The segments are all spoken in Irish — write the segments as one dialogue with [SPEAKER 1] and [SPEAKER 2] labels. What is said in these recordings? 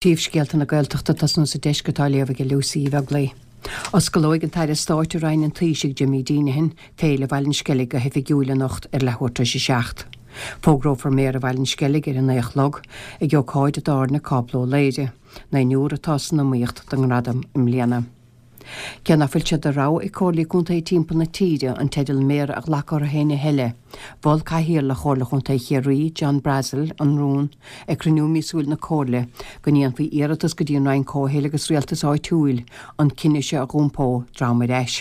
[SPEAKER 1] Príomhscéalta na Gaeltachta ag tosnú sa deisceart á léamh ag Lucy Uí Bheaglaoi. Osclóidh an tAire Stáit i Roinn an Taoisigh, Jimmy Deenihan, Féile Bhaile an Sceilg go hoifigiúil anocht ar leathuair tar éis a 7. Fógrófar Méara Bhaile an Sceilg ar a 9 a chlog ag ócáid i dTábhairne Cápla Ó Laoire. Naonúr atá san iomaíocht don ngradam i mbliana. Cé nach bhfuil sé de rogha ag Comhairlí Contae timpeall na tíre an teideal Méara a ghlacadh orthu féin a thuilleadh, mhol Cathaoirleach Chomhairle Chontae Chiarraí, John Brassil, an rún ag cruinniú míosúil na Comhairle go ndéanfaí iarratas go dtí an Roinn Comhshaoil agus Rialtais Áitiúil an cinneadh seo a dh'iompó droim ar ais.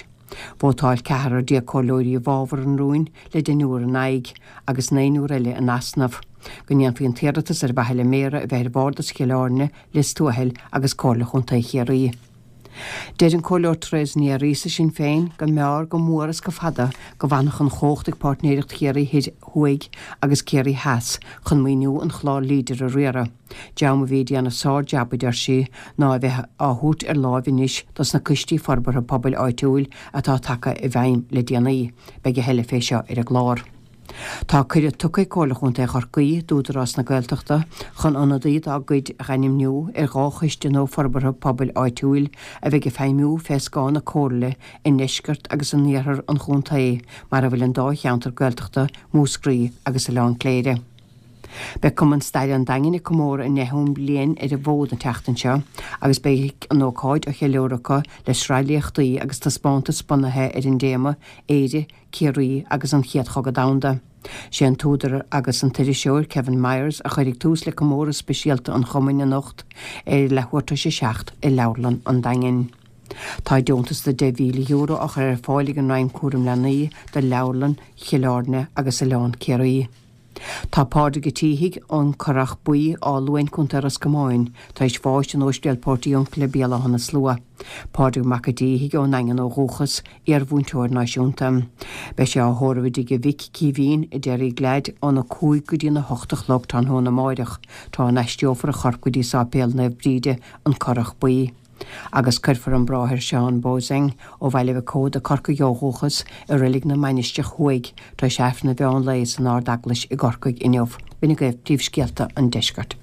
[SPEAKER 1] Vótáil ceathrar déag comhairleoirí i bhfabhar an rúin le deichniúr in aghaidh agus naonúr eile in easnamh go ndéanfaí an t-iarratas ar mhaithe le Méara a bheith ar Bhardas Chill Airne, Lios Tuathail agus Comhairle Chontae Chiarraí. Deir an Comhairleoir Therese Ní Fhearghusa, Sinn Féin, go mb'fhearr go mór is go fada go bhfanfadh an chumhacht ag Páirtnéireacht Chiarraí Thoir Thuaidh agus Ciarraí Theas chun maoiniú an chláir Leader a riaradh. Dream a bhí ag déanamh sár-jab, a deir sí, ná a bheith á thabhairt ar láimh anois dos na coistí forbartha pobail áitiúil atá tagtha i bhfeidhm le déanaí. Beidh a thuilleadh fé seo ar an gclár. Tá cuireadh tugtha ag Comhairle Chontae Chorcaí d'Údarás na Gaeltachta chun ionadaí dá gcuid a dh'ainmniú ar dhá choiste nua forbartha pobail áitiúil a bheidh ag feidhmiú fé scáth na Comhairle i ndeisceart agus in iarthar an chontae, mar a bhfuil an dá cheantar Gaeltachta, Múscraí agus Oileán Cléire. Beidh Cumann Staire an Daingin ag comóradh a ndeichiú bliain ar an bhfód an tseachtain seo agus beidh an ócáid á cheiliúradh acu le sraith léachtaí agus taispeántas bunaithe ar an dtéama 'Éire, Ciarraí agus an Chéad Chogadh Domhanda. Sé an t-údar agus an t-iriseoir Kevin Myers a chuirfidh tús le comóradh speisialta an chumainn anocht ar leathuair tar éis a 7 i Leabharlann an Daingin. Tá deontas de €10,000 á chur ar fáil ag an Roinn Cúram Leanaí do Leabharlann Chill Airne agus Oileán Ciarraí. Tá Pádraig Ó Títhigh, ón Churrach Buí, Áth Luain, Co. Ros Comáin, tar éis bháis in Óispidéal Portiuncula, Béal Átha na Slua. Pádraig Mac a' Díthigh, ón nDaingean ó dhúchas, iar-mhúinteoir náisiúnta. Beidh sé á thórramh i dtigh a mhic, Caoimhín, i Derrygladd, óna 5 go dtí na 8 a chlog tráthnóna amáireach, tráth a n-aistreofar a chorp go dtí Sáipéal Naomh Bríde, An Currach Buí. Agus cuirfear an Bráthair Seán Bozeng, ó Bhaile Mhic Óda, Corcaigh ó dhúchas, i Reilig na Mainistreach Thuaidh, tar éis Aifreann an mheán lae san Ard-Eaglais i gCorcaigh inniu. B'in agaibh príomhscéalta an deiscirt.